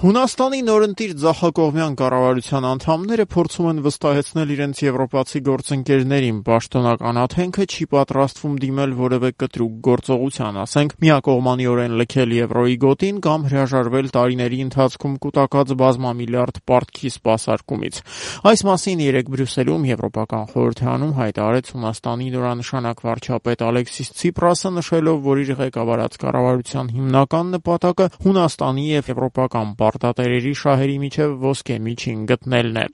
Հունաստանի նորընտիր ձախակողմյան կառավարության անդամները փորձում են վստահեցնել իրենց եվրոպացի գործընկերներին, պաշտոնական աթենքը չի պատրաստվում դիմել որևէ կտրուկ գործողության, ասենք միակողմանիորեն լքել եվրոյի գոտին կամ հրաժարվել տարիների ընթացքում կուտակած բազմամիլիարդ պարտքի սպասարկումից։ Այս մասին երեկ Բրյուսելում Եվրոպական խորհրդարանում հայտարարեց Հունաստանի նորանշանակ վարչապետ Ալեքսիս Ցիպրասը, նշելով, որ իր ղեկավարած կառավարության հիմնական նպատակը Հունաստանի եւ եվրոպական պարտատերերի շահերի միջև ոսկե միջին գտնելն է։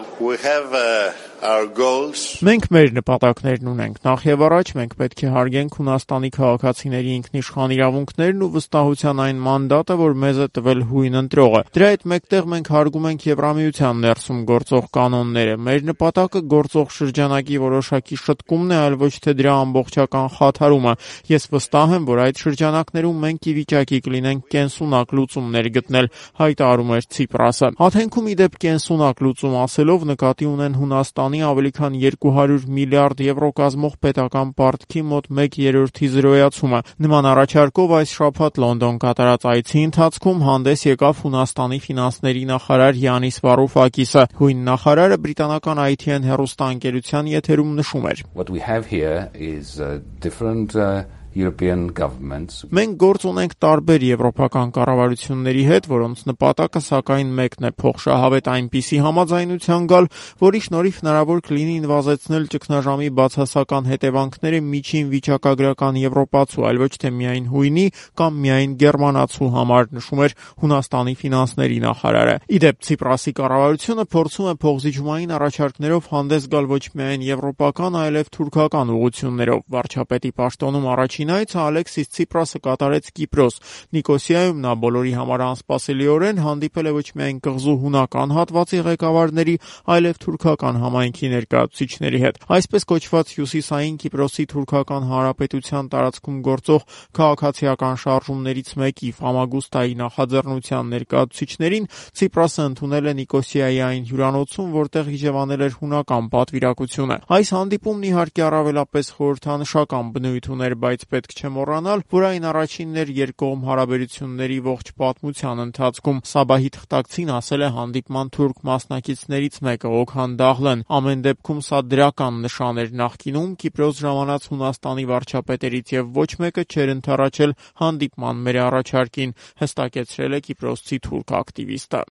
Մենք մեր նպատակներն ունենք։ Նախ եւ առաջ մենք պետք է հարգենք Հունաստանի քաղաքացիների ինքնիշխան իրավունքներն ու վստահության այն մանդատը, որ մեզ է տվել հույն ընտրողը։ Դրա հետ մեկտեղ մենք հարգում ենք Եվրամիության ներսում գործող կանոնները։ Մեր նպատակը գործող շրջանակի որոշակի շտկումն է, այլ ոչ թե դրա ամբողջական խաթարումը։ Ես վստահ եմ, որ այդ շրջանակներում մենք ի վիճակի կլինենք կենսունակ լուծումներ գտնել, հայտարարում էր Ցիպրասը։ Աթենքում ի դեպ կենսունակ լուծում ասելով նկատի ունեն Հունաստանի ավելի քան 200 միլիարդ եվրո կազմող պետական պարտքի մոտ 1/3-ի զրոյացումը։ Նման առաջարկով այս շաբաթ Լոնդոն կատարած այցի ընթացքում հանդես եկավ Հունաստանի ֆինանսների նախարար Յանիս Վարուֆակիսը։ Հույն նախարարը բրիտանական ITN հեռուստաընկերության եթերում նշում էր. Մենք գործ ունենք տարբեր եվրոպական կառավարությունների հետ, որոնց նպատակը սակայն մեկն է՝ փոխշահավետ այնպիսի համաձայնության գալ, որի շնորհիվ հնարավոր կլինի նվազեցնել ճգնաժամի բացասական հետևանքները միջին վիճակագրական եվրոպացու, այլ ոչ թե միայն հույնի կամ միայն գերմանացու համար, նշում էր Հունաստանի ֆինանսների նախարարը։ Ի դեպ, Ցիպրասի կառավարությունը փորձում է փոխզիջումային առաջարկներով հանդես գալ ոչ միայն եվրոպական, այլև թուրքական ուղղություններով։ Վարչապետի պաշտոնում առաջին այցը Ալեքսիս Ցիպրասը կատարեց Կիպրոս։ Նիկոսիայում նա բոլորի համար անսպասելիորեն հանդիպել է ոչ միայն կղզու հունական հատվածի ղեկավարների, այլև թուրքական համայնքի ներկայացուցիչների հետ։ Այսպես կոչված հյուսիսային Կիպրոսի թուրքական հանրապետության տարածքում գործող քաղաքացիական շարժումներից մեկի Ֆամագուստայի նախաձեռնության ներկայացուցիչներին Ցիպրասը ընդունել է Նիկոսիայի այն հյուրանոցում, որտեղ իջևանել էր հունական պատվիրակությունը։ Այս հանդիպումն իհարկե առավելապես խորհրդանշական բնույթ ուներ, բայց պետք չէ մոռանալ, որ այն առաջինն էր երկկողմ հարաբերությունների ողջ պատմության ընթացքում։ Սաբահի թղթակցին ասել է հանդիպման թուրք մասնակիցներից մեկը Օքհան Դաղլեն։ Ամեն դեպքում սա դրական նշան էր։ Նախկինում Կիպրոս ժամանած Հունաստանի վարչապետերից եւ ոչ մեկը չէր ընդառաջել հանդիպման մեր առաջարկին, հստակեցրել է կիպրոսցի թուրք ակտիվիստը։